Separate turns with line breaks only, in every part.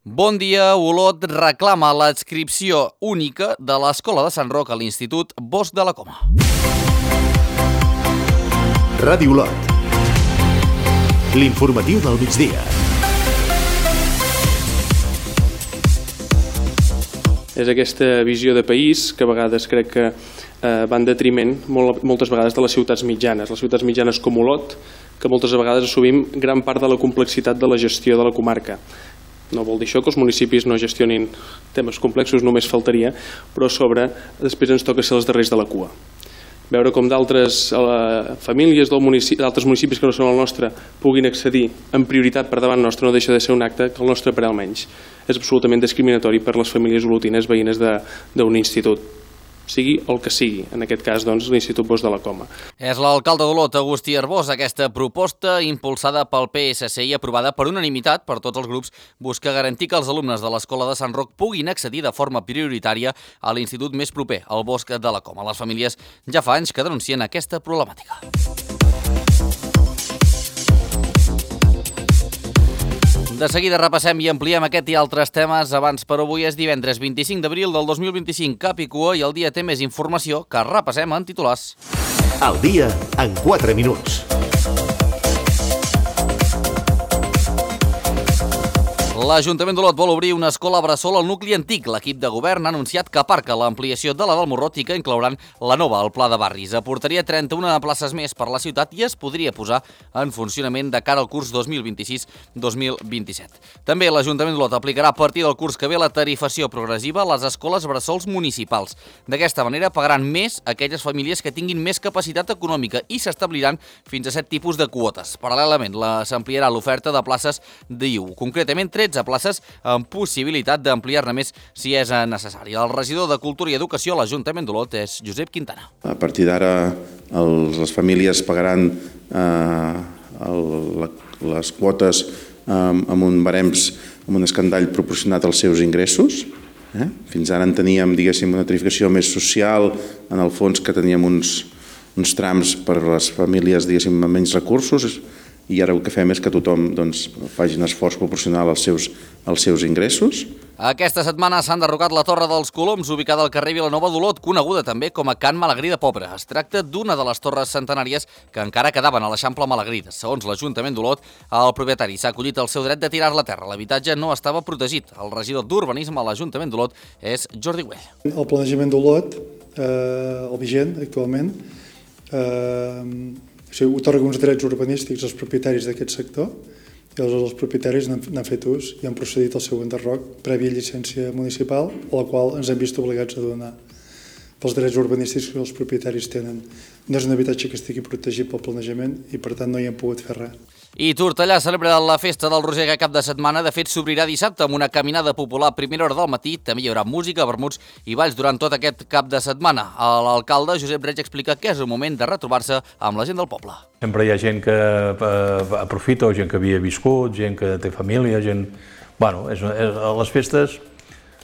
Bon dia, Olot reclama l'adscripció única de l'Escola de Sant Roc a l'Institut Bosch de la Coma.
Ràdio Olot. L'informatiu del migdia.
És aquesta visió de país que a vegades crec que va en detriment moltes vegades de les ciutats mitjanes com Olot, que moltes vegades assumim gran part de la complexitat de la gestió de la comarca. No vol dir això que els municipis no gestionin temes complexos, només faltaria, però a sobre després ens toca ser els darrers de la cua. Veure com d'altres famílies d'altres municipis que no són el nostre puguin accedir en prioritat per davant nostre no deixa de ser un acte que el nostre per almenys és absolutament discriminatori per les famílies olotines veïnes d'un institut, sigui el que sigui, en aquest cas doncs l'Institut Bosch de la Coma.
És l'alcalde d'Olot, Agustí Arbós. Aquesta proposta, impulsada pel PSC i aprovada per unanimitat per tots els grups, busca garantir que els alumnes de l'Escola de Sant Roc puguin accedir de forma prioritària a l'institut més proper, al Bosch de la Coma. Les famílies ja fa anys que denuncien aquesta problemàtica. De seguida repassem i ampliem aquest i altres temes. Abans, per avui és divendres 25 d'abril del 2025, cap i cua, i el dia té més informació que repassem en titulars.
El dia en 4 minuts.
L'Ajuntament d'Olot vol obrir una escola bressol al nucli antic. L'equip de govern ha anunciat que aparca l'ampliació de la del Morrot i que inclouran la nova al Pla de Barris. Aportaria 31 places més per la ciutat i es podria posar en funcionament de cara al curs 2026-2027. També l'Ajuntament d'Olot aplicarà a partir del curs que ve la tarifació progressiva a les escoles bressols municipals. D'aquesta manera pagaran més aquelles famílies que tinguin més capacitat econòmica i s'establiran fins a 7 tipus de quotes. Paral·lelament, s'ampliarà l'oferta de places d'IU, concretament 13 places amb possibilitat d'ampliar-ne més si és necessari. El regidor de Cultura i Educació a l'Ajuntament d'Olot és Josep Quintana.
A partir d'ara les famílies pagaran les quotes amb un barems, amb un escandall proporcionat als seus ingressos. Fins ara en teníem, diguéssim, una tarifació més social, en el fons que teníem uns trams per a les famílies, diguéssim, amb menys recursos, i ara el que fem és que tothom faci un esforç proporcional als seus ingressos.
Aquesta setmana s'ha enderrocat la Torre dels Coloms, ubicada al carrer Vilanova d'Olot, coneguda també com a Can Malagrí de Pobre. Es tracta d'una de les torres centenàries que encara quedaven a l'Eixample Malagrí. Segons l'Ajuntament d'Olot, el propietari s'ha acollit el seu dret de tirar-la a terra. L'habitatge no estava protegit. El regidor d'Urbanisme a l'Ajuntament d'Olot és Jordi Güell.
El planejament d'Olot, el vigent actualment, otorga uns drets urbanístics als propietaris d'aquest sector i els propietaris n'han fet ús i han procedit al seu enderroc prèvia llicència municipal, a la qual ens hem vist obligats a donar pels drets urbanístics que els propietaris tenen. No és un habitatge que estigui protegit pel planejament i per tant no hi hem pogut fer res.
I Tortellà celebra la festa del Roser aquest cap de setmana. De fet, s'obrirà dissabte amb una caminada popular a primera hora del matí. També hi haurà música, vermuts i balls durant tot aquest cap de setmana. L'alcalde Josep Reig explica que és un moment de retrobar-se amb la gent del poble.
Sempre hi ha gent que aprofita, gent que havia viscut, gent que té família, gent... Bueno, a les festes,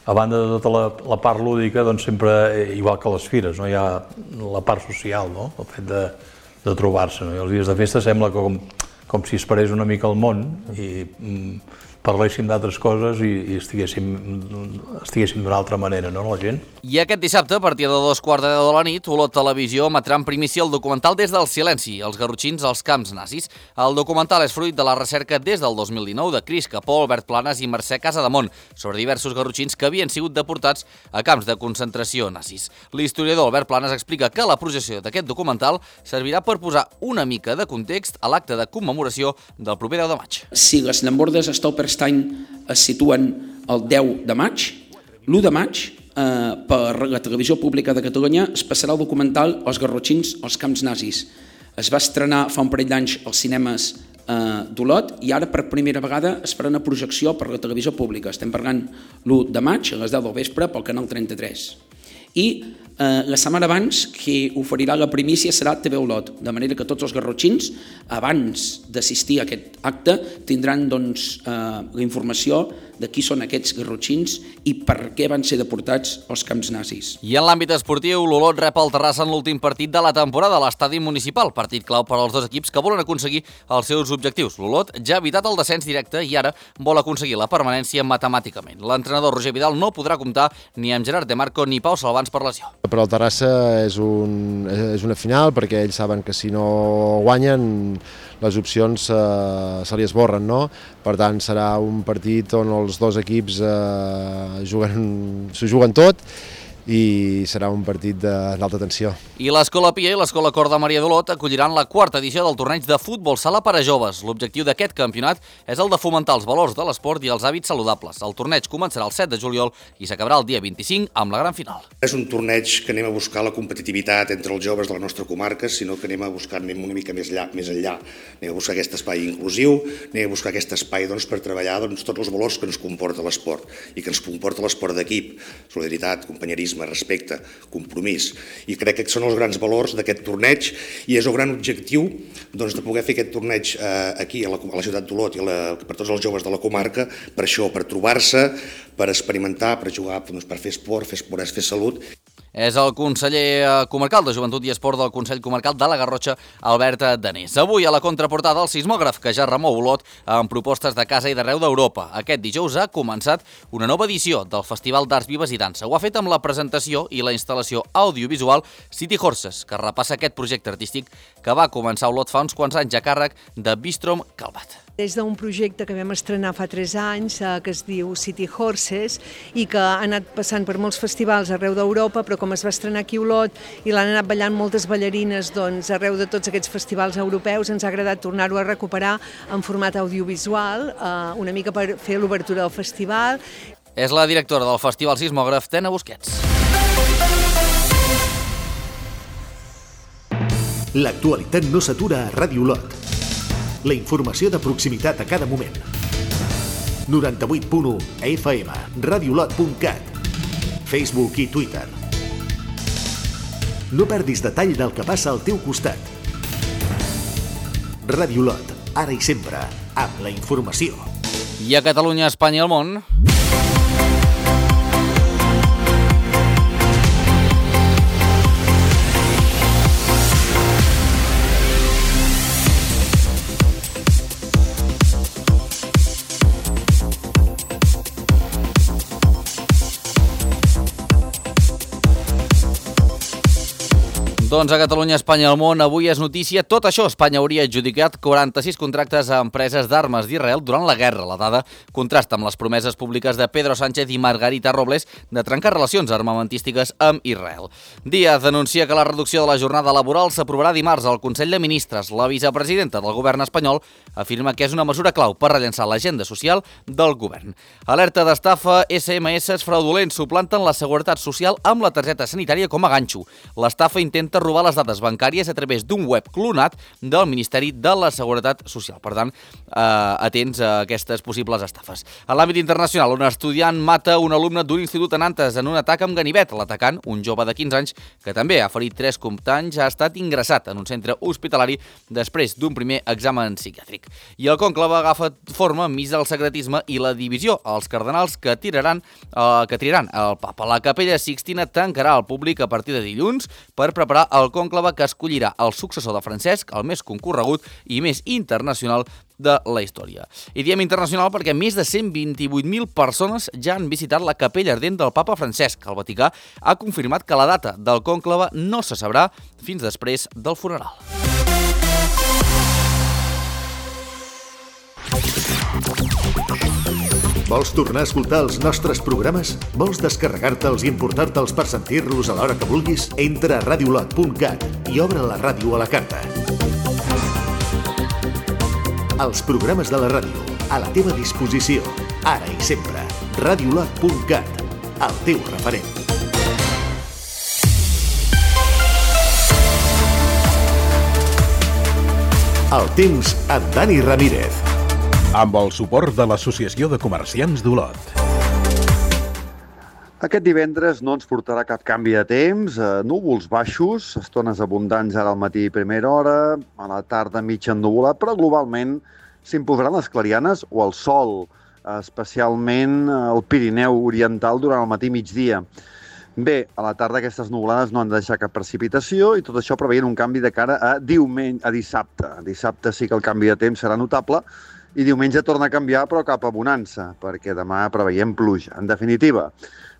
a banda de tota la part lúdica, doncs sempre, igual que les fires, no? Hi ha la part social, no? El fet de trobar-se, no? I els dies de festa sembla com si es parés una mica al món i parléssim d'altres coses i estiguéssim d'una altra manera, no, la gent?
I aquest dissabte, a partir de 2:15 de la nit, Olot Televisió emetrà en primícia el documental Des del silenci, els garrotxins als camps nazis. El documental és fruit de la recerca des del 2019 de Cris Capó, Albert Planes i Mercè Casademont sobre diversos garrotxins que havien sigut deportats a camps de concentració nazis. L'historiador Albert Planes explica que la projecció d'aquest documental servirà per posar una mica de context a l'acte de commemoració del proper 10 de maig.
Si les llambordes Stolperstein es situen el 10 de maig, l'1 de maig, per la Televisió Pública de Catalunya es passarà el documental Els garrotxins als camps nazis. Es va estrenar fa un parell d'anys als cinemes d'Olot i ara per primera vegada es farà una projecció per la Televisió Pública. Estem parlant l'1 de maig a les 10 del vespre pel canal 33. I la setmana abans qui oferirà la primícia serà TV Olot, de manera que tots els garrotxins, abans d'assistir a aquest acte, tindran la informació de qui són aquests garrotxins i per què van ser deportats als camps nazis.
I en l'àmbit esportiu, l'Olot rep el Terrassa en l'últim partit de la temporada a l'estadi municipal, partit clau per als dos equips que volen aconseguir els seus objectius. L'Olot ja ha evitat el descens directe i ara vol aconseguir la permanència matemàticament. L'entrenador Roger Vidal no podrà comptar ni amb Gerard De Marco ni Pau Salvans per lesió.
Per al Terrassa és una final perquè ells saben que si no guanyen les opcions se li esborren, no? Per tant, serà un partit on els dos equips s'ho juguen tot i serà un partit d'alta tensió.
I l'Escola Pia i l'Escola Cor de Maria d'Olot acolliran la quarta edició del torneig de futbol sala per a joves. L'objectiu d'aquest campionat és el de fomentar els valors de l'esport i els hàbits saludables. El torneig començarà el 7 de juliol i s'acabarà el dia 25 amb la gran final.
És un torneig que anem a buscar la competitivitat entre els joves de la nostra comarca, sinó que anem una mica més enllà. Anem a buscar aquest espai inclusiu, anem a buscar aquest espai per treballar tots els valors que ens comporta l'esport i que ens comporta l'esport d'equip, solidaritat, companyerisme, respecte, compromís. I crec que són els grans valors d'aquest torneig i és el gran objectiu de poder fer aquest torneig aquí a la ciutat d'Olot i per tots els joves de la comarca, per això, per trobar-se, per experimentar, per jugar, per fer esport, fer salut.
És el conseller comarcal de Joventut i Esport del Consell Comarcal de la Garrotxa, Albert Danés. Avui a la contraportada el sismògraf que ja remou Olot amb propostes de casa i d'arreu d'Europa. Aquest dijous ha començat una nova edició del Festival d'Arts Vives i Dansa. Ho ha fet amb la presentació i la instal·lació audiovisual City Horses, que repassa aquest projecte artístic que va començar a Olot fa uns quants anys a càrrec de Bistrom Calvat.
Des d'un projecte que vam estrenar fa 3 anys, que es diu City Horses, i que ha anat passant per molts festivals arreu d'Europa, però com es va estrenar aquí a Olot i l'han anat ballant moltes ballarines arreu de tots aquests festivals europeus, ens ha agradat tornar-ho a recuperar en format audiovisual, una mica per fer l'obertura del festival.
És la directora del Festival Sismògraf, Tena Busquets.
L'actualitat no s'atura a Ràdio Olot. La informació de proximitat a cada moment. 98.1 FM, radiolot.cat, Facebook i Twitter. No perdis detall del que passa al teu costat. Ràdio Olot, ara i sempre, amb la informació.
I a Catalunya, Espanya i el món... Doncs a Catalunya, Espanya i el món, avui és notícia tot això. Espanya hauria adjudicat 46 contractes a empreses d'armes d'Israel durant la guerra. La dada contrasta amb les promeses públiques de Pedro Sánchez i Margarita Robles de trencar relacions armamentístiques amb Israel. Díaz anuncia que la reducció de la jornada laboral s'aprovarà dimarts al Consell de Ministres. La vicepresidenta del govern espanyol afirma que és una mesura clau per rellançar l'agenda social del govern. Alerta d'estafa, SMS fraudulents suplanten la seguretat social amb la targeta sanitària com a ganxo. L'estafa intenta robar les dades bancàries a través d'un web clonat del Ministeri de la Seguretat Social. Per tant, atents a aquestes possibles estafes. A l'àmbit internacional, un estudiant mata un alumne d'un institut a Nantes en un atac amb ganivet. L'atacant, un jove de 15 anys, que també ha ferit 3 companys, ha estat ingressat en un centre hospitalari després d'un primer examen psiquiàtric. I el conclave agafa forma enmig del secretisme i la divisió. Els cardenals que triaran el papa. La Capella Sixtina tancarà al públic a partir de dilluns per preparar el conclave que escollirà el successor de Francesc, el més concorregut i més internacional de la història. I diem internacional perquè més de 128.000 persones ja han visitat la capella ardent del papa Francesc. El Vaticà ha confirmat que la data del conclave no se sabrà fins després del funeral.
Vols tornar a escoltar els nostres programes? Vols descarregar-te'ls i importar-te'ls per sentir-los a l'hora que vulguis? Entra a radiolot.cat i obre la ràdio a la carta. Els programes de la ràdio, a la teva disposició, ara i sempre. radiolot.cat, el teu referent. El temps amb Dani Ramírez.
Amb el suport de l'Associació de Comerciants d'Olot.
Aquest divendres no ens portarà cap canvi de temps, núvols baixos, estones abundants ara al matí i primera hora, a la tarda mig ennuvolat, però globalment s'imposaran les clarianes o el sol. especialment al Pirineu Oriental durant el matí i migdia. Bé, a la tarda aquestes nuvolades no han de deixar cap precipitació i tot això preveient un canvi de cara a dissabte. Dissabte sí que el canvi de temps serà notable i diumenge torna a canviar però cap a bonança, perquè demà preveiem pluja. En definitiva,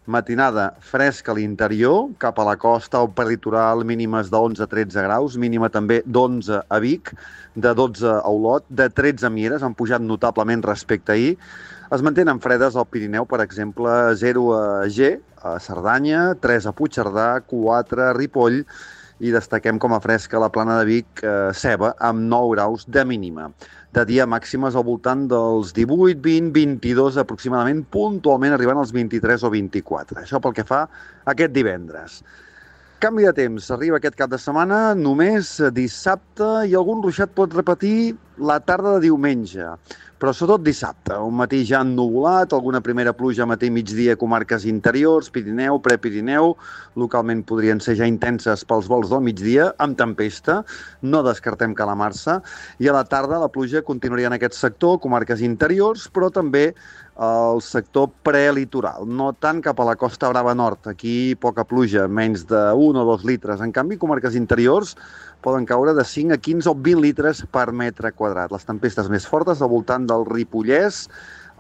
matinada fresca a l'interior, cap a la costa o per litoral mínimes de 11-13 graus, mínima també d'11 a Vic, de 12 a Olot, de 13 a Mieres, han pujat notablement respecte a ahir. Es mantenen fredes al Pirineu, per exemple, 0 a G, a Cerdanya, 3 a Puigcerdà, 4 a Ripoll i destaquem com a fresca la Plana de Vic, Ceba, amb 9 graus de mínima. De dia màximes al voltant dels 18, 20, 22 aproximadament, puntualment arribant als 23 o 24. Això pel que fa a aquest divendres. Canvi de temps, arriba aquest cap de setmana, només dissabte i algun ruixat pot repetir la tarda de diumenge, però sobretot dissabte, un matí ja ennuvolat, alguna primera pluja matí i migdia a comarques interiors, Pirineu, Prepirineu, localment podrien ser ja intenses pels vols del migdia, amb tempesta, no descartem calamar-se, i a la tarda la pluja continuaria en aquest sector, comarques interiors, però també al sector prelitoral, no tant cap a la Costa Brava Nord, aquí poca pluja, menys de 1 o 2 litres, en canvi comarques interiors poden caure de 5 a 15 o 20 litres per metre quadrat. Les tempestes més fortes al voltant del Ripollès,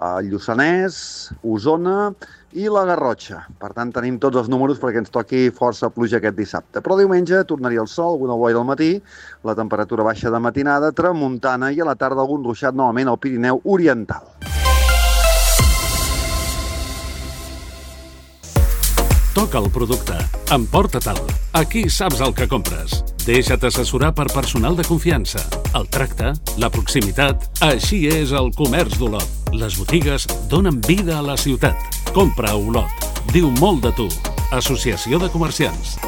el Lluçanès, Osona i la Garrotxa. Per tant, tenim tots els números perquè ens toqui força pluja aquest dissabte. Però diumenge tornaria el sol, alguna boira al matí, la temperatura baixa de matinada, tramuntana i a la tarda algun ruixat novament al Pirineu Oriental.
Toca el producte. Emporta-te'l. Aquí saps el que compres. Deixa't assessorar per personal de confiança. El tracte, la proximitat... Així és el comerç d'Olot. Les botigues donen vida a la ciutat. Compra a Olot. Diu molt de tu. Associació de Comerciants.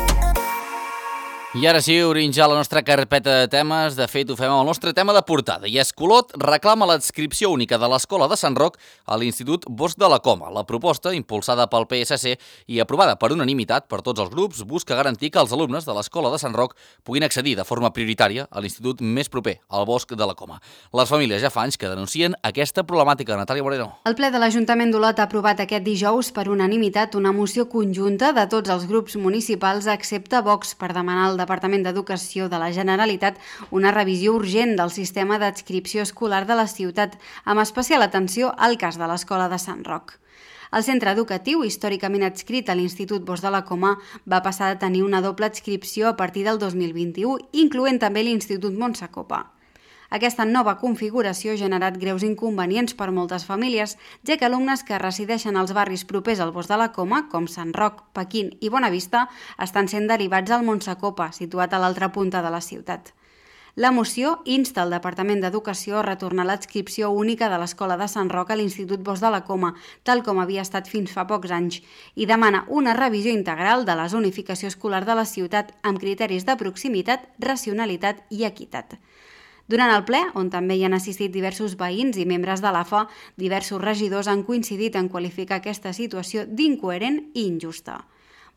I ara sí, obrim ja la nostra carpeta de temes. De fet, ho fem amb el nostre tema de portada. I Escolot reclama l'adscripció única de l'Escola de Sant Roc a l'Institut Bosch de la Coma. La proposta, impulsada pel PSC i aprovada per unanimitat per tots els grups, busca garantir que els alumnes de l'Escola de Sant Roc puguin accedir de forma prioritària a l'institut més proper, al Bosch de la Coma. Les famílies ja fa anys que denuncien aquesta problemàtica. Natàlia Moreno.
El ple de l'Ajuntament d'Olot ha aprovat aquest dijous per unanimitat una moció conjunta de tots els grups municipals excepte Vox per demanar al Departament d'Educació de la Generalitat una revisió urgent del sistema d'adscripció escolar de la ciutat, amb especial atenció al cas de l'Escola de Sant Roc. El centre educatiu, històricament adscrit a l'Institut Bosch de la Coma, va passar a tenir una doble adscripció a partir del 2021, incloent també l'Institut Montsacopa. Aquesta nova configuració ha generat greus inconvenients per moltes famílies, ja que alumnes que resideixen als barris propers al Bosch de la Coma, com Sant Roc, Pequín i Bonavista, estan sent derivats al Montsacopa, situat a l'altra punta de la ciutat. La moció insta el Departament d'Educació a retornar l'adscripció única de l'Escola de Sant Roc a l'Institut Bosch de la Coma, tal com havia estat fins fa pocs anys, i demana una revisió integral de la zonificació escolar de la ciutat amb criteris de proximitat, racionalitat i equitat. Durant el ple, on també hi han assistit diversos veïns i membres de l'AFA, diversos regidors han coincidit en qualificar aquesta situació d'incoherent i injusta.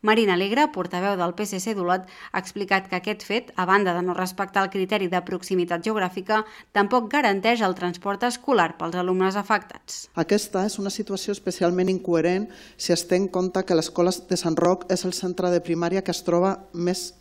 Marina Alegre, portaveu del PSC d'Olot, ha explicat que aquest fet, a banda de no respectar el criteri de proximitat geogràfica, tampoc garanteix el transport escolar pels alumnes afectats.
Aquesta és una situació especialment incoherent si es té en compte que l'Escola de Sant Roc és el centre de primària que es troba més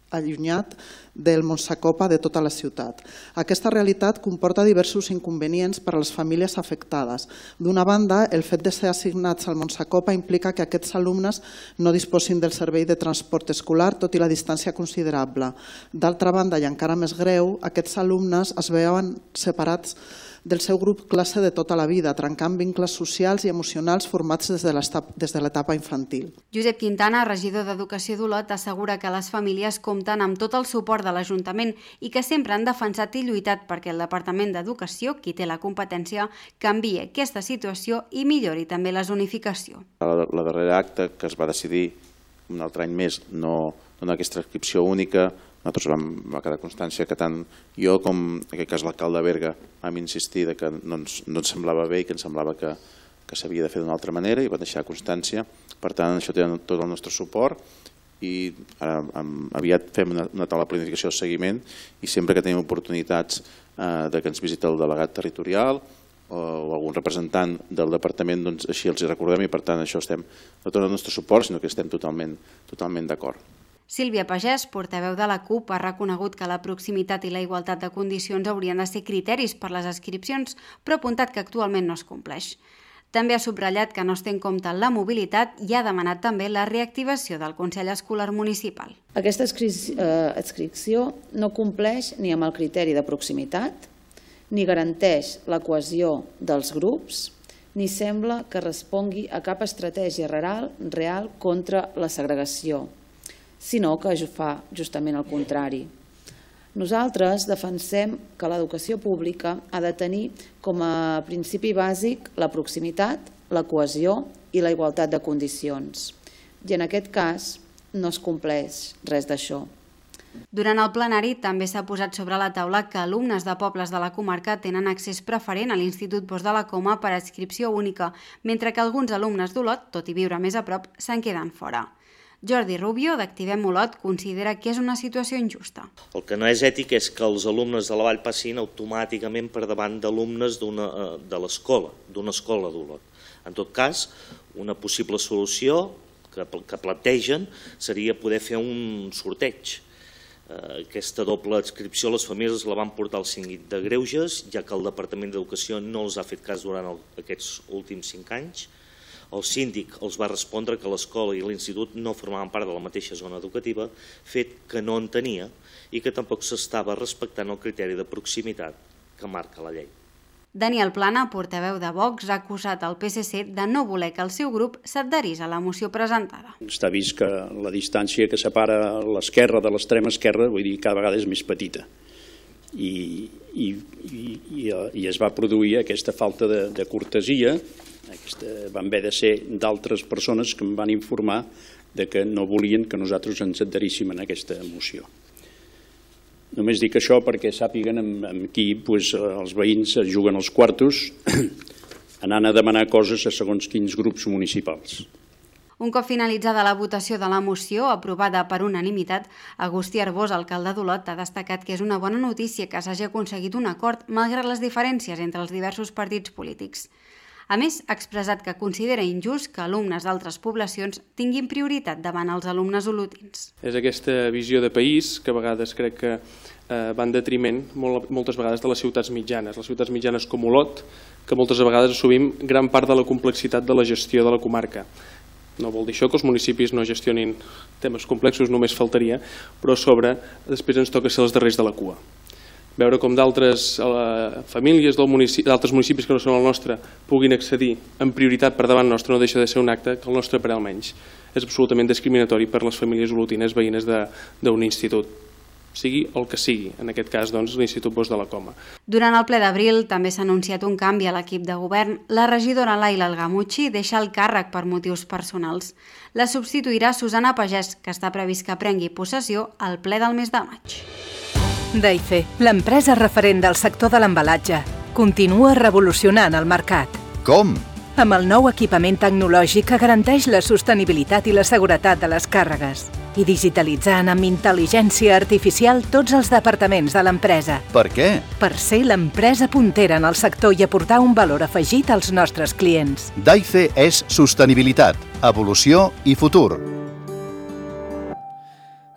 allunyat del Montsacopa de tota la ciutat. Aquesta realitat comporta diversos inconvenients per a les famílies afectades. D'una banda, el fet de ser assignats al Montsacopa implica que aquests alumnes no disposin del servei de transport escolar, tot i la distància considerable. D'altra banda, i encara més greu, aquests alumnes es veuen separats del seu grup classe de tota la vida, trencant vincles socials i emocionals formats des de l'etapa infantil.
Josep Quintana, regidor d'Educació d'Olot, assegura que les famílies compten amb tot el suport de l'Ajuntament i que sempre han defensat i lluitat perquè el Departament d'Educació, qui té la competència, canviï aquesta situació i millori també la zonificació.
La darrera acte que es va decidir un altre any més no donar aquesta inscripció única, nosaltres va quedar constància que tant jo com en aquest cas l'alcalde de Berga vam insistir que no ens semblava bé i que ens semblava que s'havia de fer d'una altra manera i va deixar constància. Per tant, això té tot el nostre suport i aviat fem una taula de planificació de seguiment i sempre que tenim oportunitats que ens visita el delegat territorial o algun representant del departament, doncs així els hi recordem i per tant això estem no tot el nostre suport, sinó que estem totalment d'acord.
Sílvia Pagès, portaveu de la CUP, ha reconegut que la proximitat i la igualtat de condicions haurien de ser criteris per les adscripcions, però ha apuntat que actualment no es compleix. També ha subratllat que no es té en compte la mobilitat i ha demanat també la reactivació del Consell Escolar Municipal.
Aquesta adscripció no compleix ni amb el criteri de proximitat, ni garanteix la cohesió dels grups, ni sembla que respongui a cap estratègia real contra la segregació, sinó que fa justament el contrari. Nosaltres defensem que l'educació pública ha de tenir com a principi bàsic la proximitat, la cohesió i la igualtat de condicions. I en aquest cas no es compleix res d'això.
Durant el plenari també s'ha posat sobre la taula que alumnes de pobles de la comarca tenen accés preferent a l'Institut Bosch de la Coma per adscripció única, mentre que alguns alumnes d'Olot, tot i viure més a prop, se'n queden fora. Jordi Rubio, d'Activem Olot, considera que és una situació injusta.
El que no és ètic és que els alumnes de la Vall passin automàticament per davant d'alumnes de l'escola, d'una escola d'Olot. En tot cas, una possible solució que plantegen seria poder fer un sorteig. Aquesta doble adscripció les famílies la van portar al síndic de Greuges, ja que el Departament d'Educació no els ha fet cas durant aquests últims 5 anys. El síndic els va respondre que l'escola i l'institut no formaven part de la mateixa zona educativa, fet que no entenia i que tampoc s'estava respectant el criteri de proximitat que marca la llei.
Daniel Plana, portaveu de Vox, ha acusat el PSC de no voler que el seu grup s'adherís a la moció presentada.
Està vist que la distància que separa l'esquerra de l'extrema esquerra, vull dir, cada vegada és més petita. I es va produir aquesta falta de cortesia. Van haver de ser d'altres persones que em van informar que no volien que nosaltres ens adheríssim a aquesta moció. Només dic això perquè sàpiguen amb qui els veïns juguen els quartos anant a demanar coses a segons quins grups municipals.
Un cop finalitzada la votació de la moció, aprovada per unanimitat, Agustí Arbós, alcalde d'Olot, ha destacat que és una bona notícia que s'hagi aconseguit un acord malgrat les diferències entre els diversos partits polítics. A més, ha expressat que considera injust que alumnes d'altres poblacions tinguin prioritat davant els alumnes olotins.
És aquesta visió de país que a vegades crec que va en detriment moltes vegades de les ciutats mitjanes com Olot, que moltes vegades assumim gran part de la complexitat de la gestió de la comarca. No vol dir això que els municipis no gestionin temes complexos, només faltaria, però a sobre després ens toca ser els darrers de la cua. Veure com d'altres famílies d'altres municipis que no són el nostre puguin accedir en prioritat per davant nostre no deixa de ser un acte que el nostre per almenys és absolutament discriminatori per les famílies olotines veïnes d'un institut, sigui el que sigui, en aquest cas l'Institut Bosch de la Coma.
Durant el ple d'abril també s'ha anunciat un canvi a l'equip de govern. La regidora Laila Algamuchi deixa el càrrec per motius personals. La substituirà Susana Pagès, que està previst que prengui possessió al ple del mes de maig.
Daife, l'empresa referent del sector de l'embalatge, continua revolucionant el mercat.
Com?
Amb el nou equipament tecnològic que garanteix la sostenibilitat i la seguretat de les càrregues i digitalitzant amb intel·ligència artificial tots els departaments de l'empresa.
Per què?
Per ser l'empresa puntera en el sector i aportar un valor afegit als nostres clients.
Daife és sostenibilitat, evolució i futur.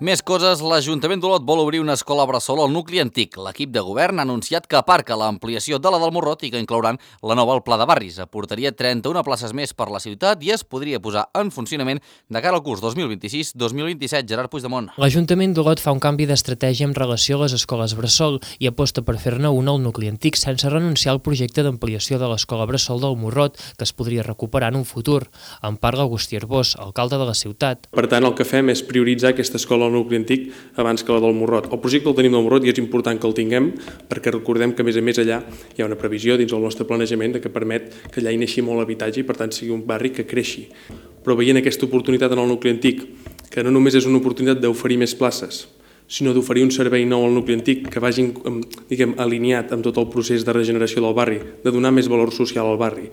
Més coses, l'Ajuntament d'Olot vol obrir una escola bressol al nucli antic. L'equip de govern ha anunciat que aparca l'ampliació de la del Morrot i que inclouran la nova al Pla de Barris. Aportaria 31 places més per la ciutat i es podria posar en funcionament de cara al curs 2026-2027. Gerard Puigdemont.
L'Ajuntament d'Olot fa un canvi d'estratègia en relació a les escoles bressol i aposta per fer-ne una al nucli antic sense renunciar al projecte d'ampliació de l'escola bressol del Morrot, que es podria recuperar en un futur. En parla Agustí Arbós, alcalde de la ciutat.
Per tant, el que fem és prioritzar aquesta escola nucli antic abans que la del Morrot. El projecte el tenim del Morrot i és important que el tinguem perquè recordem que a més allà hi ha una previsió dins del nostre planejament que permet que allà hi neixi molt habitatge i per tant sigui un barri que creixi. Però veient aquesta oportunitat en el nucli antic, que no només és una oportunitat d'oferir més places, sinó d'oferir un servei nou al nucli antic que vagin alineat amb tot el procés de regeneració del barri, de donar més valor social al barri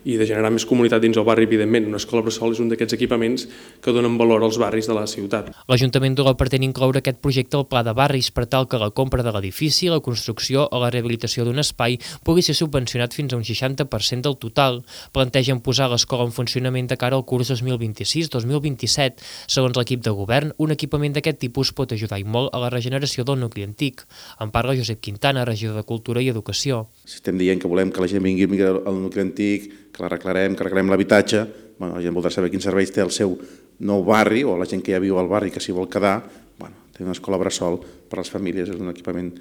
i de generar més comunitat dins el barri, evidentment. Una escola bressol és un d'aquests equipaments que donen valor als barris de la ciutat.
L'Ajuntament d'Olot pretén incloure aquest projecte al Pla de Barris per tal que la compra de l'edifici, la construcció o la rehabilitació d'un espai pugui ser subvencionat fins a un 60% del total. Plantegen posar l'escola en funcionament de cara al curs 2026-2027. Segons l'equip de govern, un equipament d'aquest tipus pot ajudar i molt a la regeneració del nucli antic. En parla Josep Quintana, regidor de Cultura i Educació.
Si estem dient que volem que la gent vingui al nucli antic, que l'arreglarem l'habitatge, la gent voldrà saber quins serveis té el seu nou barri o la gent que ja viu al barri que s'hi vol quedar. Tenir una escola bressol per a les famílies és un equipament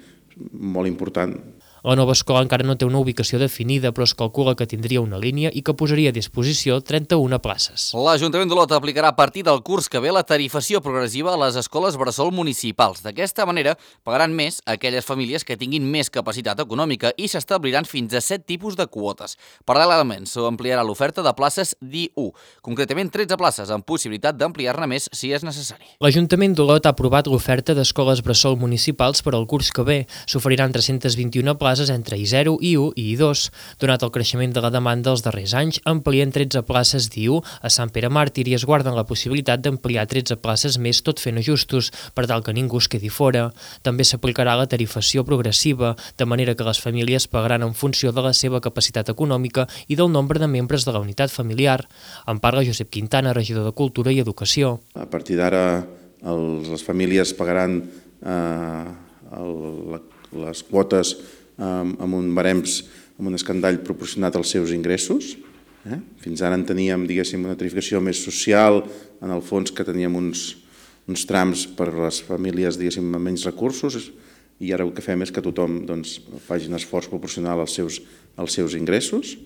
molt important.
La nova escola encara no té una ubicació definida, però es calcula que tindria una línia i que posaria a disposició 31 places.
L'Ajuntament d'Olot aplicarà a partir del curs que ve la tarifació progressiva a les escoles bressol municipals. D'aquesta manera, pagaran més aquelles famílies que tinguin més capacitat econòmica i s'establiran fins a 7 tipus de quotes. Paral·lelament, s'ampliarà l'oferta de places d'I1, concretament 13 places, amb possibilitat d'ampliar-ne més si és necessari.
L'Ajuntament d'Olot ha aprovat l'oferta d'escoles bressol municipals per al curs que ve. S'oferiran 321 places entre I0, I1 i I2. Donat el creixement de la demanda els darrers anys, amplien 13 places d'I1 a Sant Pere Màrtir i es guarden la possibilitat d'ampliar 13 places més tot fent ajustos, per tal que ningú es quedi fora. També s'aplicarà la tarifació progressiva, de manera que les famílies pagaran en funció de la seva capacitat econòmica i del nombre de membres de la unitat familiar. En parla Josep Quintana, regidor de Cultura i Educació.
A partir d'ara, les famílies pagaran les quotes amb un barems, amb un escandall proporcionat als seus ingressos. Fins ara en teníem, diguéssim, una tarifació més social, en el fons que teníem uns trams per a les famílies, diguéssim, amb menys recursos, i ara el que fem és que tothom faci un esforç proporcional als seus ingressos.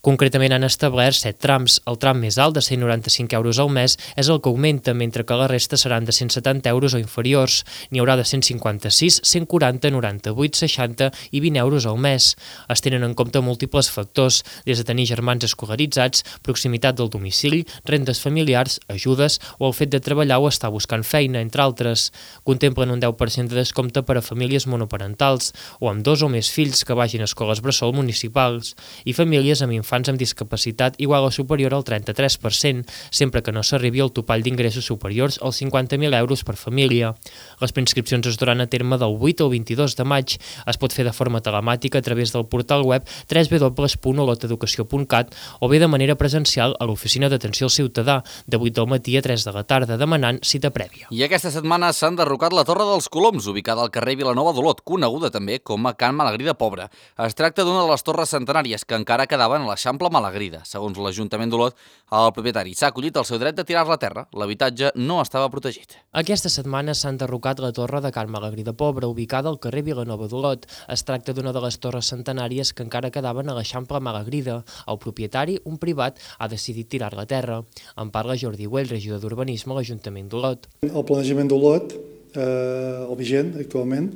Concretament han establert 7 trams. El tram més alt, de 195 euros al mes, és el que augmenta, mentre que la resta seran de 170 euros o inferiors. N'hi haurà de 156, 140, 98, 60 i 20 euros al mes. Es tenen en compte múltiples factors, des de tenir germans escolaritzats, proximitat del domicili, rendes familiars, ajudes o el fet de treballar o estar buscant feina, entre altres. Contemplen un 10% de descompte per a famílies monoparentals o amb 2 o més fills que vagin a escoles bressol municipals i famílies amb infants amb discapacitat igual o superior al 33%, sempre que no s'arribi al topall d'ingressos superiors als 50.000 euros per família. Les preinscripcions es duran a terme del 8 al 22 de maig. Es pot fer de forma telemàtica a través del portal web www.oloteducació.cat o bé de manera presencial a l'oficina d'atenció al ciutadà, de 8 del matí a 3 de la tarda, demanant cita prèvia.
I aquesta setmana s'ha enderrocat la Torre dels Coloms, ubicada al carrer Vilanova d'Olot, coneguda també com a Can Malagrida Pobre. Es tracta d'una de les torres centenàries que encara quedaven a l'Eixample Malagrida. Segons l'Ajuntament d'Olot, el propietari s'ha acollit el seu dret de tirar-la a terra. L'habitatge no estava protegit.
Aquesta setmana s'ha enderrocat la torre de Can Malagrida Pobre, ubicada al carrer Vilanova d'Olot. Es tracta d'una de les torres centenàries que encara quedaven a l'Eixample Malagrida. El propietari, un privat, ha decidit tirar-la a terra. En parla Jordi Güell, regidor d'Urbanisme a l'Ajuntament d'Olot.
El planejament d'Olot, el vigent actualment,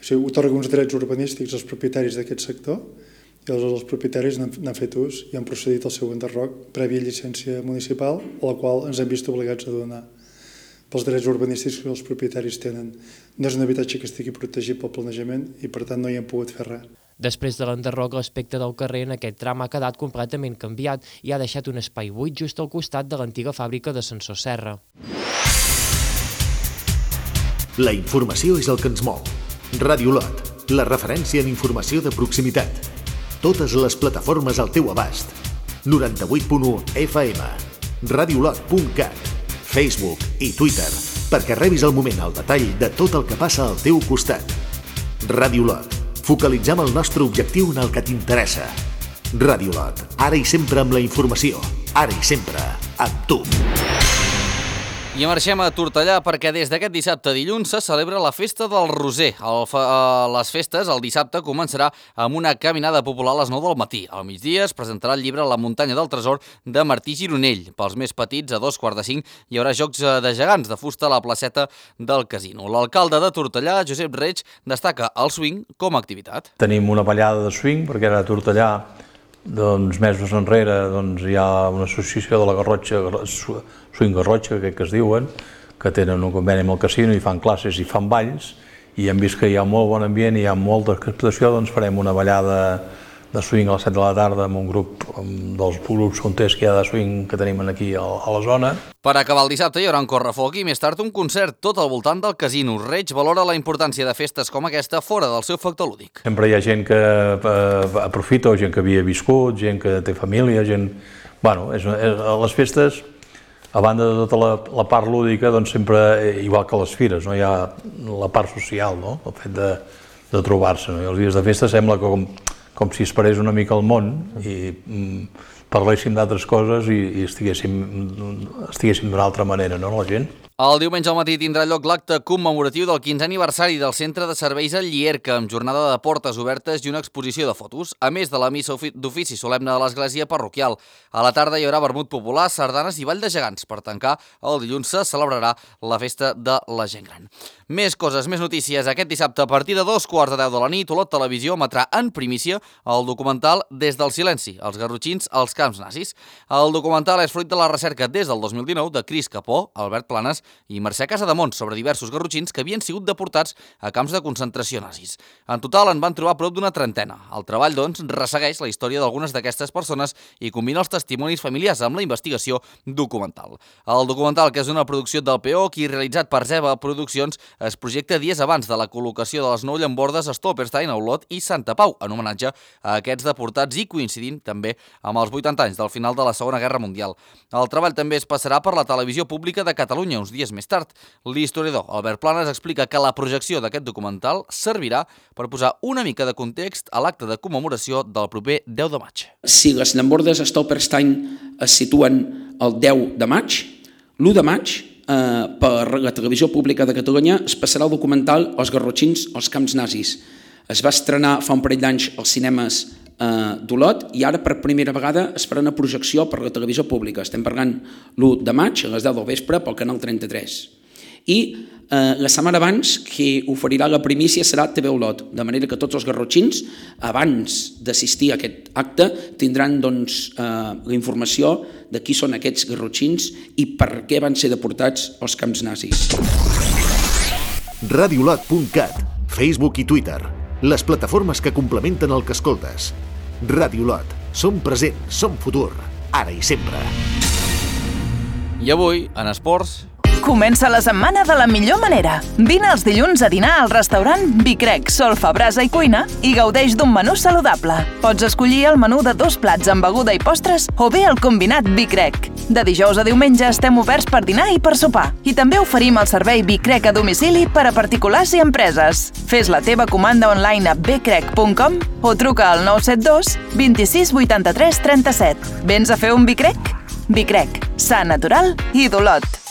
otorga uns drets urbanístics als propietaris d'aquest sector i els propietaris n'han fet ús i han procedit al seu enderroc prèvia llicència municipal, a la qual ens hem vist obligats a donar pels drets urbanístics que els propietaris tenen. No és un habitatge que estigui protegit pel planejament i per tant no hi hem pogut fer res.
Després de l'enderroc, l'aspecte del carrer en aquest tram ha quedat completament canviat i ha deixat un espai buit just al costat de l'antiga fàbrica d'ascensor Serra.
La informació és el que ens mou. Ràdio Olot, la referència en informació de proximitat. Totes les plataformes al teu abast. 98.1 FM, radiolot.cat, Facebook i Twitter, perquè rebis al moment el detall de tot el que passa al teu costat. Ràdio Olot, focalitzem el nostre objectiu en el que t'interessa. Ràdio Olot, ara i sempre amb la informació, ara i sempre amb tu.
I marxem a Tortellà perquè des d'aquest dissabte dilluns se celebra la Festa del Roser. Les festes el dissabte començarà amb una caminada popular a les 9 del matí. Al migdia es presentarà el llibre La muntanya del tresor de Martí Gironell. Pels més petits, a 2:45, hi haurà jocs de gegants de fusta a la placeta del casino. L'alcalde de Tortellà, Josep Reig, destaca el swing com a activitat.
Tenim una ballada de swing perquè ara a Tortellà mesos enrere hi ha una associació de la Garrotxa, Swing Garrotxa, que es diuen, que tenen un conveni amb el casino i fan classes i fan balls, i hem vist que hi ha molt bon ambient i hi ha molta expectació, doncs farem una ballada swing a les 7 de la tarda amb un grup dels grups punters que hi ha de swing que tenim aquí a la zona.
Per acabar el dissabte hi haurà un correfoc i més tard un concert tot al voltant del casino. Reig valora la importància de festes com aquesta fora del seu factor lúdic.
Sempre hi ha gent que aprofita, gent que havia viscut, gent que té família, gent... Bueno, les festes, a banda de tota la part lúdica, doncs sempre, igual que les fires, hi ha la part social, el fet de trobar-se. I els dies de festa sembla com si es parés una mica al món i parléssim d'altres coses i estiguéssim d'una altra manera, no, la gent?
El diumenge al matí tindrà lloc l'acte commemoratiu del 15è aniversari del Centre de Serveis al Llierca, amb jornada de portes obertes i una exposició de fotos, a més de la missa d'ofici solemne de l'església parroquial. A la tarda hi haurà vermut popular, sardanes i ball de gegants. Per tancar, el dilluns se celebrarà la festa de la gent gran. Més coses, més notícies. Aquest dissabte, a partir de 2:15 de la nit, Olot Televisió emetrà en primícia el documental Des del silenci, els garrotxins als camps nazis. El documental és fruit de la recerca des del 2019 de Cris Capó, Albert Planes i Mercè Casademont sobre diversos garrotxins que havien sigut deportats a camps de concentració nazis. En total en van trobar prop d'una trentena. El treball, doncs, ressegueix la història d'algunes d'aquestes persones i combina els testimonis familiars amb la investigació documental. El documental, que és una producció del POC i realitzat per Zeba Produccions, es projecta dies abans de la col·locació de les 9 llambordes a Stolperstein, a Olot i Santa Pau, en homenatge a aquests deportats i coincidint també amb els 80 anys del final de la Segona Guerra Mundial. El treball també es passarà per la Televisió Pública de Catalunya uns dies més tard. L'historiador Albert Planes explica que la projecció d'aquest documental servirà per posar una mica de context a l'acte de commemoració del proper 10 de maig.
Si les llambordes a Stolperstein es situen el 10 de maig, l'1 de maig, per la Televisió Pública de Catalunya es passarà el documental Els garrotxins als camps nazis. Es va estrenar fa un parell d'anys als cinemes d'Olot i ara per primera vegada es farà una projecció per la televisió pública. Estem parlant l'1 de maig a les 10 del vespre pel canal 33. I la setmana abans qui oferirà la primícia serà TV Olot, de manera que tots els garrotxins, abans d'assistir a aquest acte, tindran la informació de qui són aquests garrotxins i per què van ser deportats als camps nazis.
Radiolot.cat, Facebook i Twitter, les plataformes que complementen el que escoltes. Radiolot, som present, som futur, ara i sempre.
I avui, en esports...
Comença la setmana de la millor manera. Vine els dilluns a dinar al restaurant Bicrec, Solfa, Brasa i Cuina i gaudeix d'un menú saludable. Pots escollir el menú de 2 plats amb beguda i postres o bé el combinat Bicrec. De dijous a diumenge estem oberts per dinar i per sopar. I també oferim el servei Bicrec a domicili per a particulars i empreses. Fes la teva comanda online a bcrec.com o truca al 972 26 83 37. Vens a fer un Bicrec? Bicrec, sa, natural i d'Olot.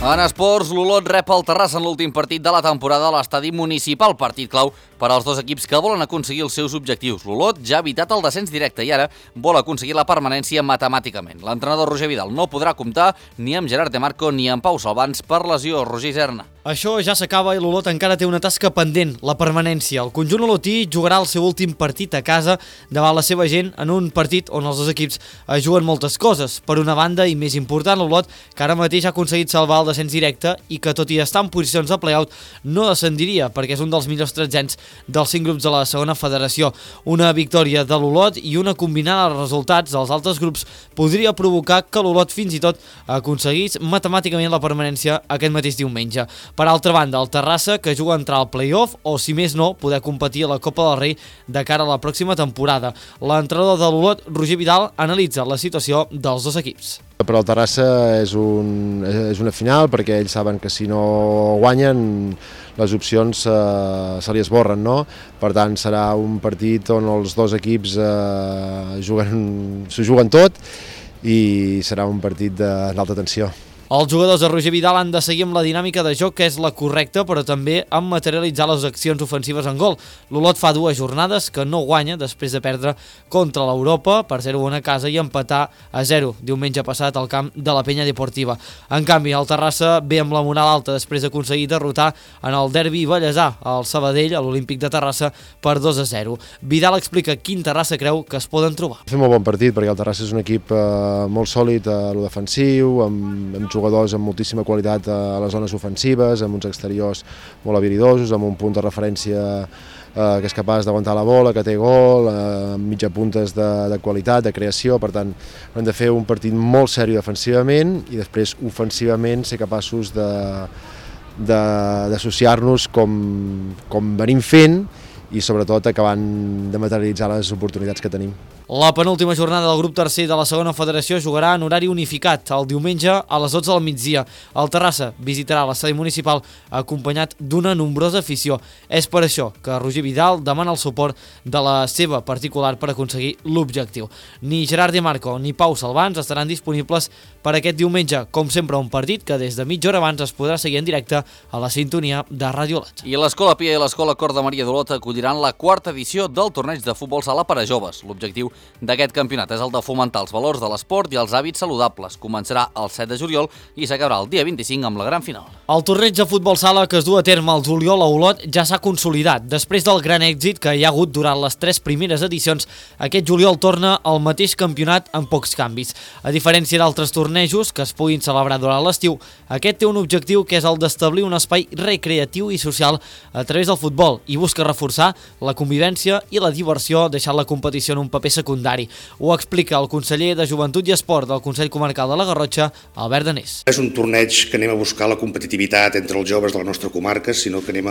En esports, l'Olot rep el Terrassa en l'últim partit de la temporada a l'estadi municipal, partit clau per als dos equips que volen aconseguir els seus objectius. L'Olot ja ha evitat el descens directe i ara vol aconseguir la permanència matemàticament. L'entrenador Roger Vidal no podrà comptar ni amb Gerard de Marco ni amb Pau Salvans per lesió. Roger Iserna.
Això ja s'acaba i l'Olot encara té una tasca pendent, la permanència. El conjunt olotí jugarà el seu últim partit a casa davant la seva gent en un partit on els dos equips juguen moltes coses. Per una banda, i més important, l'Olot, que ara mateix ha aconseguit salvar el descens directe i que tot i estar en posicions de play-out no descendiria perquè és un dels millors tretzens dels 5 grups de la segona federació. Una victòria de l'Olot i una combinada de resultats dels altres grups podria provocar que l'Olot fins i tot aconseguís matemàticament la permanència aquest mateix diumenge. Per altra banda, el Terrassa, que juga a entrar al play-off o, si més no, poder competir a la Copa del Rei de cara a la pròxima temporada. L'entrenador de l'Olot, Roger Vidal, analitza la situació dels dos equips.
Per al Terrassa és una final perquè ells saben que si no guanyen les opcions se li esborren, no? Per tant, serà un partit on els dos equips s'ho juguen tot i serà un partit d'alta tensió.
Els jugadors de Roger Vidal han de seguir amb la dinàmica de joc que és la correcta, però també amb materialitzar les accions ofensives en gol. L'Olot fa 2 jornades que no guanya després de perdre contra l'Europa per 0-1 a casa i empatar a 0 diumenge passat al camp de la Penya Deportiva. En canvi, el Terrassa ve amb la moral alta després d'aconseguir derrotar en el derbi ballesà al Sabadell, a l'Olímpic de Terrassa, per 2-0. Vidal explica quin Terrassa creu que es poden trobar.
Fem un bon partit perquè el Terrassa és un equip molt sòlid a lo defensiu, hem jugat jugadors amb moltíssima qualitat a les zones ofensives, amb uns exteriors molt habilidosos, amb un punt de referència que és capaç d'aguantar la bola, que té gol, amb mitja puntes de qualitat, de creació. Per tant, hem de fer un partit molt seriós defensivament i després ofensivament ser capaços d'associar-nos com venim fent i sobretot acabant de materialitzar les oportunitats que tenim.
La penúltima jornada del grup tercer de la segona federació jugarà en horari unificat el diumenge a les 12 del migdia. El Terrassa visitarà l'estadi municipal acompanyat d'una nombrosa afició. És per això que Roger Vidal demana el suport de la seva particular per aconseguir l'objectiu. Ni Gerard Di Marco ni Pau Salvans estaran disponibles per aquest diumenge. Com sempre, un partit que des de mitja hora abans es podrà seguir en directe a la sintonia de Ràdio Olot.
I l'Escola Pia i l'Escola Cor de Maria d'Olot acolliran la quarta edició del torneig de futbol sala per a joves. L'objectiu d'aquest campionat és el de fomentar els valors de l'esport i els hàbits saludables. Començarà el 7 de juliol i s'acabarà el dia 25 amb la gran final.
El torneig de futbol sala que es du a terme al juliol a Olot ja s'ha consolidat. Després del gran èxit que hi ha hagut durant les 3 primeres edicions, aquest juliol torna al mateix campionat amb pocs canvis. A diferència d'altres tornejos que es puguin celebrar durant l'estiu, aquest té un objectiu que és el d'establir un espai recreatiu i social a través del futbol i busca reforçar la convivència i la diversió, deixant la competició en un paper secundari. Ho explica el conseller de Joventut i Esport del Consell Comarcal de la Garrotxa, Albert Danés.
És un torneig que anem a buscar la competitivitat entre els joves de la nostra comarca, sinó que anem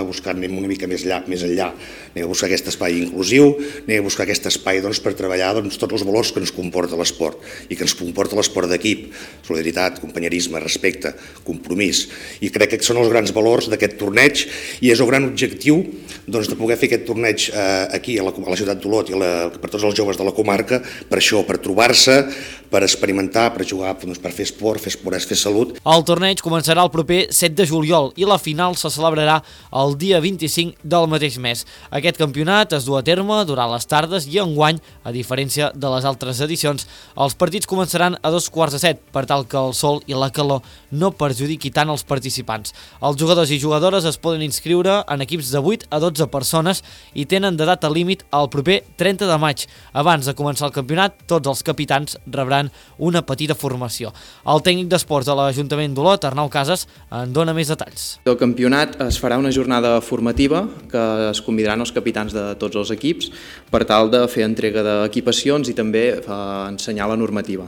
una mica més enllà. Anem a buscar aquest espai inclusiu, anem a buscar aquest espai per treballar tots els valors que ens comporta l'esport i que ens comporta l'esport d'equip: solidaritat, companyerisme, respecte, compromís. I crec que són els grans valors d'aquest torneig i és el gran objectiu de poder fer aquest torneig aquí a la ciutat d'Olot i per tots els joves de la comarca, per això, per trobar-se, per experimentar, per jugar, per fer esport, fer salut.
El torneig començarà el proper 7 de juliol i la final se celebrarà el dia 25 del mateix mes. Aquest campionat es du a terme durant les tardes i enguany, a diferència de les altres edicions, els partits començaran a 2:45 per tal que el sol i la calor no perjudiqui tant els participants. Els jugadors i jugadores es poden inscriure en equips de 8 a 12 persones i tenen de data límit el proper 30 de maig. Abans de començar el campionat, tots els capitans rebran una petita formació. El tècnic d'esports de l'Ajuntament d'Olot, Arnau Casas, en dona més detalls.
El campionat es farà una jornada formativa que es convidaran els capitans de tots els equips per tal de fer entrega d'equipacions i també ensenyar la normativa.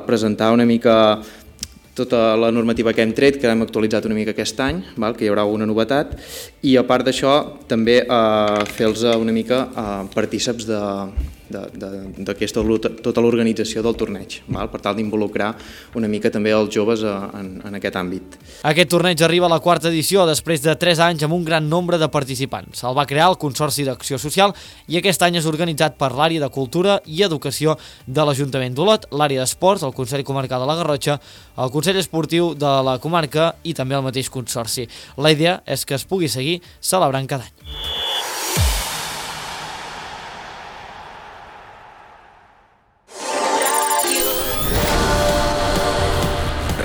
Presentar una mica tota la normativa que hem tret, que hem actualitzat una mica aquest any, que hi haurà una novetat, i a part d'això també fer-los una mica partíceps d'aquesta tota l'organització del torneig, per tal d'involucrar una mica també els joves en aquest àmbit.
Aquest torneig arriba a la quarta edició després de 3 anys amb un gran nombre de participants. El va crear el Consorci d'Acció Social i aquest any és organitzat per l'àrea de Cultura i Educació de l'Ajuntament d'Olot, l'àrea d'Esports, el Consell Comarcal de la Garrotxa, el Consell Esportiu de la comarca i també el mateix Consorci. La idea és que es pugui seguir celebrant cada any.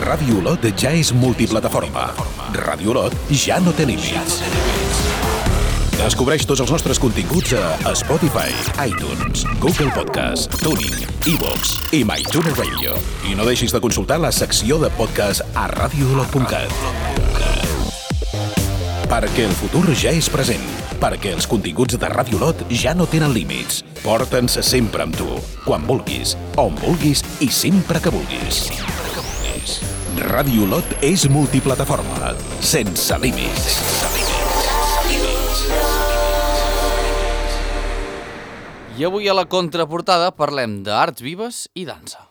Ràdio Olot ja és multiplataforma. Ràdio Olot ja no té límits. Descobreix tots els nostres continguts a Spotify, iTunes, Google Podcast, TuneIn, iVoox i MyTuner Radio. I no deixis de consultar la secció de podcast a radioolot.cat. Perquè el futur ja és present. Perquè els continguts de Ràdio Olot ja no tenen límits. Porta'ns sempre amb tu, quan vulguis, on vulguis i sempre que vulguis. Ràdio Olot és multiplataforma, sense límits.
I avui a la contraportada parlem d'arts vives i dansa.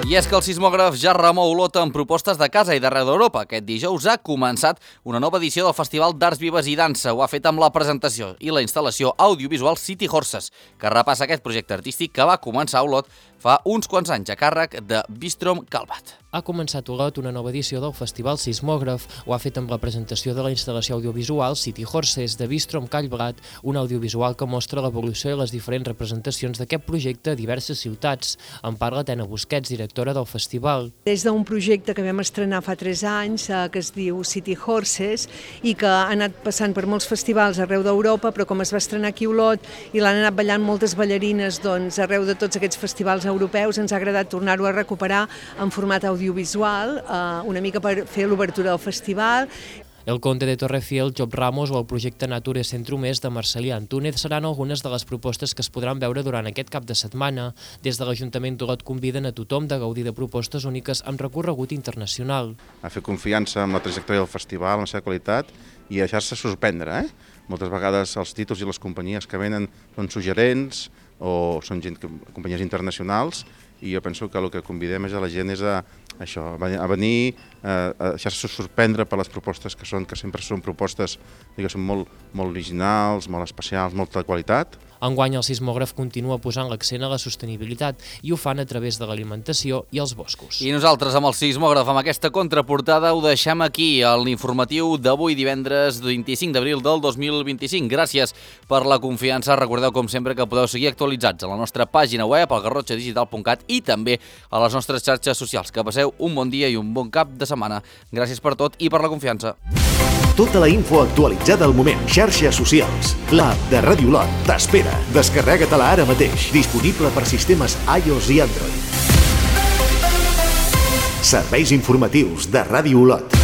I és que el sismògraf ja remou Olot amb propostes de casa i d'arreu d'Europa. Aquest dijous ha començat una nova edició del Festival d'Arts Vives i Dansa. Ho ha fet amb la presentació i la instal·lació audiovisual City Horses, que repassa aquest projecte artístic que va començar a Olot fa uns quants anys a càrrec de Bistrom Calvat.
Ha començat a Olot una nova edició del Festival Sismògraf. Ho ha fet amb la presentació de la instal·lació audiovisual City Horses de Bistrom Calvat, un audiovisual que mostra l'evolució i les diferents representacions actuacions d'aquest projecte a diverses ciutats. En parla Tena Busquets, directora del festival.
Des d'un projecte que vam estrenar fa 3 anys, que es diu City Horses, i que ha anat passant per molts festivals arreu d'Europa, però com es va estrenar aquí a Olot i l'han anat ballant moltes ballarines arreu de tots aquests festivals europeus, ens ha agradat tornar-ho a recuperar en format audiovisual, una mica per fer l'obertura del festival.
El Conde de Torrefiel, Job Ramos o el projecte Nature Centro Més de Marcelí Antúnez seran algunes de les propostes que es podran veure durant aquest cap de setmana. Des de l'Ajuntament d'Olot conviden a tothom de gaudir de propostes úniques amb recorregut internacional.
A fer confiança en la trajectòria del festival, en la seva qualitat i a deixar-se sorprendre. Moltes vegades els títols i les companyies que venen són suggerents o són companyies internacionals i jo penso que el que convidem a la gent és a venir, a deixar-se sorprendre per les propostes que sempre són propostes molt originals, molt especials, molta qualitat.
Enguany el sismògraf continua posant l'accent a la sostenibilitat i ho fan a través de l'alimentació i els boscos.
I nosaltres amb el sismògraf, amb aquesta contraportada, ho deixem aquí, a l'informatiu d'avui divendres 25 d'abril del 2025. Gràcies per la confiança. Recordeu, com sempre, que podeu seguir actualitzats a la nostra pàgina web, al garrotxadigital.cat i també a les nostres xarxes socials. Que passeu un bon dia i un bon cap de setmana. Gràcies per tot i per la confiança.
Tota la info actualitzada al moment. Xarxes socials. L'app de Ràdio Olot t'espera. Descarrega-te-la ara mateix. Disponible per sistemes iOS i Android. Serveis informatius de Ràdio Olot.